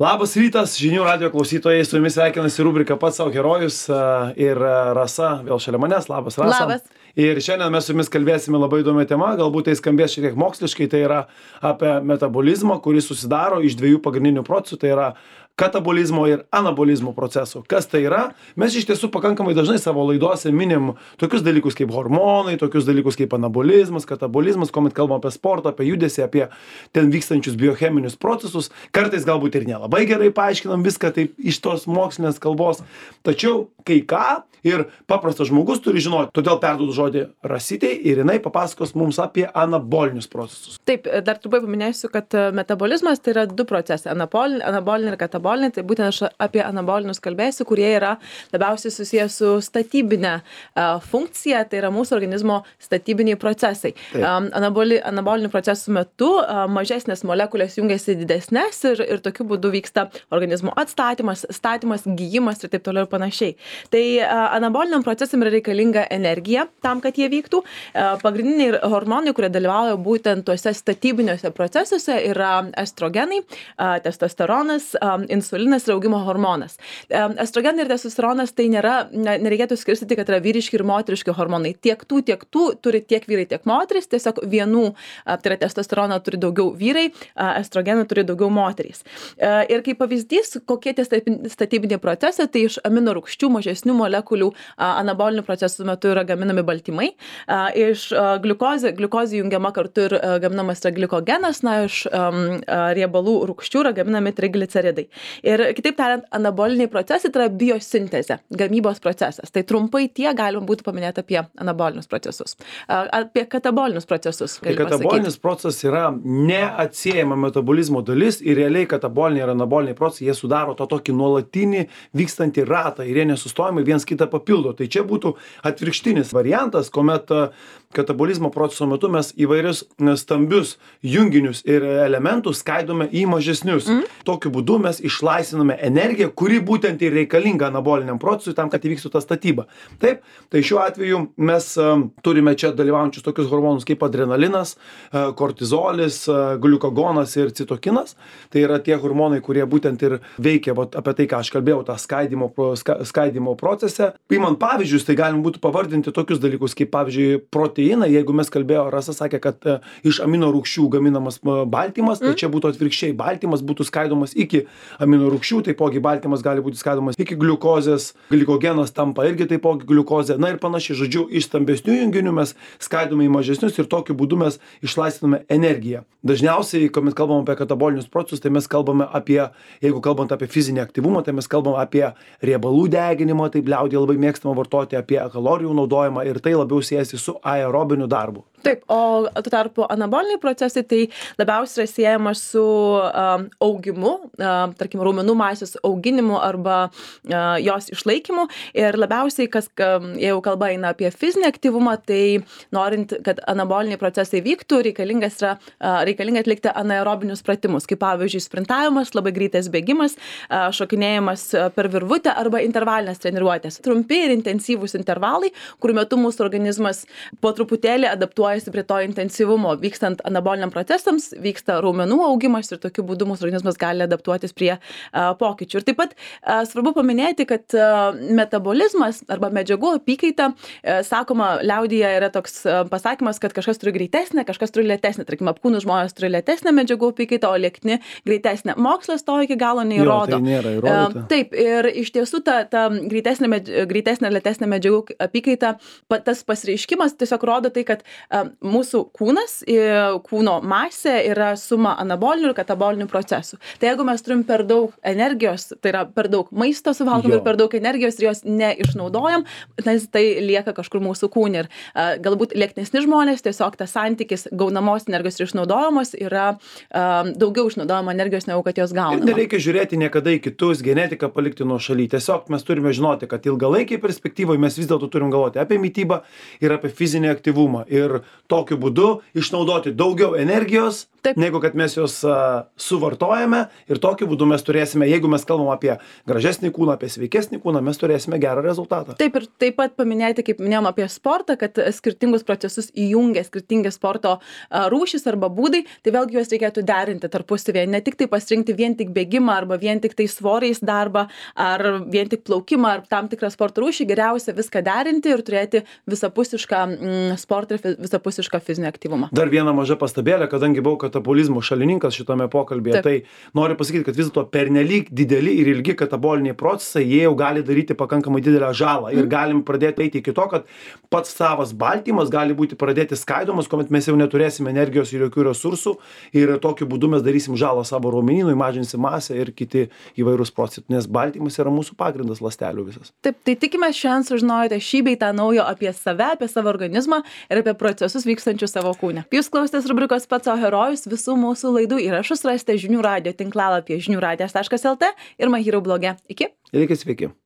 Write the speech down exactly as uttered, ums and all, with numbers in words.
Labas rytas, žinių radio klausytojai, su jumis sveikinasi rubrika Pats savo herojus ir Rasa vėl šalia manęs. Labas, Rasa. Labas. Ir šiandien mes su jumis kalbėsime labai įdomią temą, galbūt tai skambės šiek tiek moksliškai, tai yra apie metabolizmą, kuris susidaro iš dviejų pagrindinių procesų, tai yra katabolizmo ir anabolizmo procesų. Kas tai yra? Mes iš tiesų pakankamai dažnai savo laidose minim tokius dalykus kaip hormonai, tokius dalykus kaip anabolizmas, katabolizmas, kuomet kalbam apie sportą, apie judesį, apie ten vykstančius biocheminius procesus. Kartais galbūt ir nelabai gerai paaiškinam viską taip iš tos mokslinės kalbos. Tačiau kai ką ir paprastas žmogus turi žinoti. Todėl perduodu žodį Rasitei ir jinai papasakos mums apie anabolinius procesus. Taip, dar trumpai paminėsiu, kad metabolizmas tai yra du procesai, anabolinė, anabolinė ir katabolinė. Tai būtent aš apie anabolinius kalbėsiu, kurie yra labiausiai susijęs su statybinė uh, funkcija, tai yra mūsų organizmo statybiniai procesai. Um, anaboli, anabolinių procesų metu uh, mažesnės molekulės jungiasi didesnės ir, ir tokiu būdu vyksta organizmo atstatymas, statymas, gyjimas ir taip toliau ir panašiai. Tai uh, anaboliniam procesam yra reikalinga energija tam, kad jie vyktų. Uh, pagrindiniai hormonai, kurie dalyvauja būtent tuose statybiniuose procesuose, yra estrogenai, uh, testosteronas, um, insulinas ir augimo hormonas. Um, estrogenai ir testosteronas tai nėra, ne, nereikėtų skirstyti, kad yra vyriški ir moteriški hormonai. Tiek tų, tiek tų turi tiek vyrai, tiek moteris, tiesiog vienų, uh, tai yra testosteroną turi daugiau vyrai, uh, estrogenų turi daugiau moterys. Uh, ir kaip pavyzdys, kokie tie statybiniai procesai, tai iš amino rūgščių mažesnių molekulių anabolinių procesų metu yra gaminami baltymai. Iš gliukozė, gliukozė jungiama kartu ir gaminamas yra glikogenas, na, iš um, riebalų rūgščių yra gaminami trigliceridai. Ir kitaip tariant, anaboliniai procesai tai yra biosintezė, gamybos procesas. Tai trumpai tie galima būtų paminėti apie anabolinius procesus. Apie katabolinius procesus. Tai katabolinis procesas yra neatsiejama metabolizmo dalis ir realiai kataboliniai ir anaboliniai procesai, jie sudaro to tokį nuolatinį vykstantį ratą ir jie nesustojamai viens kitą papildo. Tai čia būtų atvirkštinis variantas, kuomet katabolizmo proceso metu mes įvairius stambius junginius ir elementus skaidome į mažesnius. Mm. Tokiu būdu mes išlaisviname energiją, kuri būtent ir reikalinga anaboliniam procesui tam, kad įvyktų ta statyba. Taip, tai šiuo atveju mes uh, turime čia dalyvaujančius tokius hormonus kaip adrenalinas, uh, kortizolis, uh, gliukagonas ir citokinas. Tai yra tie hormonai, kurie būtent ir veikia vat, apie tai, ką aš kalbėjau, tą skaidimo, ska, skaidimo procese. Įmant pavyzdžius, tai galim būtų pavardinti tokius dalykus kaip pavyzdžiui proteiną. Jeigu mes kalbėjo, Rasa sakė, kad uh, iš amino rūgščių gaminamas uh, baltymas, mm. tai čia būtų atvirkščiai. Baltymas būtų skaidomas iki amino rūgščių, taipogi baltymas gali būti skaidomas iki gliukozės, glikogenas tampa irgi taipogi gliukozė. Na ir panašiai, žodžiu, iš stambesnių junginių mes skaidome į mažesnius ir tokiu būdu mes išlaisviname energiją. Dažniausiai, kuomet kalbame apie katabolinius procesus, tai mes kalbame apie, jeigu kalbant apie fizinį aktyvumą, tai mes kalbame apie riebalų deginimą, taip liaudyje labai mėgstama vartoti, apie kalorijų naudojimą ir tai labiau siejasi su aerobiniu darbu. Taip, o tuo tarpu anaboliniai procesai tai labiausiai yra siejama su um, augimu, um, tarkim, raumenų masės auginimu arba uh, jos išlaikymu. Ir labiausiai, kas, um, jeigu kalba eina apie fizinį aktyvumą, tai norint, kad anaboliniai procesai vyktų, reikalingas yra uh, reikalinga atlikti anaerobinius pratimus, kaip pavyzdžiui sprintavimas, labai greitas bėgimas, uh, šokinėjimas per virvutę arba intervalinės treniruotės. Trumpi ir intensyvūs intervalai, kurių metu mūsų organizmas po truputėlį adaptuoja prie to intensyvumo. Vykstant anaboliniam procesams, vyksta raumenų augimas ir tokiu būdu mūsų organizmas gali adaptuotis prie uh, pokyčių. Ir taip pat uh, svarbu paminėti, kad uh, metabolizmas arba medžiagų apykaita, uh, sakoma, liaudyje yra toks uh, pasakymas, kad kažkas turi greitesnę, kažkas turi lėtesnę. Tarkim, apkūnus žmonės turi lėtesnę medžiagų apykaitą, o liekni greitesnę. Mokslas to iki galo neįrodo. Jo, tai nėra įrodyta. Uh, taip, ir iš tiesų ta, ta greitesnė, med, greitesnė, lėtesnė medžiagų apykaita, tas pasireiškimas tiesiog rodo tai, kad uh, mūsų kūnas, kūno masė yra suma anabolinių ir katabolinių procesų. Tai jeigu mes turim per daug energijos, tai yra per daug maisto suvalgom ir per daug energijos ir jos neišnaudojam, nes tai lieka kažkur mūsų kūne. Ir uh, galbūt lieknesni žmonės, tiesiog tas santykis gaunamos energijos ir išnaudojamos yra uh, daugiau išnaudojama energijos, negu kad jos gaunama. Ir nereikia žiūrėti niekada į kitus, genetiką palikti nuo šaly. Tiesiog mes turime žinoti, kad ilgalaikiai perspektyvoje mes vis dėlto turim galvoti apie mitybą ir apie fizinį aktyvumą. Ir tokiu būdu išnaudoti daugiau energijos, Taip. negu kad mes jos uh, suvartojame ir tokiu būdu mes turėsime, jeigu mes kalbam apie gražesnį kūną, apie sveikesnį kūną, mes turėsime gerą rezultatą. Taip ir taip pat paminėti, kaip minėjom apie sportą, kad skirtingus procesus įjungia skirtingi sporto a, rūšys arba būdai, tai vėlgi juos reikėtų derinti tarpusavėje, ne tik tai pasirinkti vien tik bėgimą arba vien tik tai svoriais darbą ar vien tik plaukimą ar tam tikrą sporto rūšį, geriausia viską derinti ir turėti visapusišką mm, sportą ir fi- visapusišką fizinį aktyvumą. Dar viena maža pastabėlė, kadangi buvau katabolizmo šalininkas šitame pokalbėje, Taip. tai noriu pasakyti, kad vis dėlto pernelyg dideli ir ilgi kataboliniai procesai, jie jau gali daryti pakankamai didelę žalą ir galim pradėti eiti iki to, kad pats savas baltymas gali būti pradėti skaidomas, kuomet mes jau neturėsime energijos ir jokių resursų ir tokiu būdu mes darysim žalą savo raumenynui, mažinsim masę ir kiti įvairūs procesai, nes baltymas yra mūsų pagrindas ląstelių visas. Taip, tai tikimės šiandien sužinojote šį bei tą naujo apie save, apie savo organizmą ir apie procesus vykstančius savo kūne. Jūs klausėtės rubrikos Pats sau herojus, visų mūsų laidų įrašus rasite žinių radijo tinklalapyje žinių radijas taškas lt ir My Hero bloge. Iki. Ir reikia sveiki.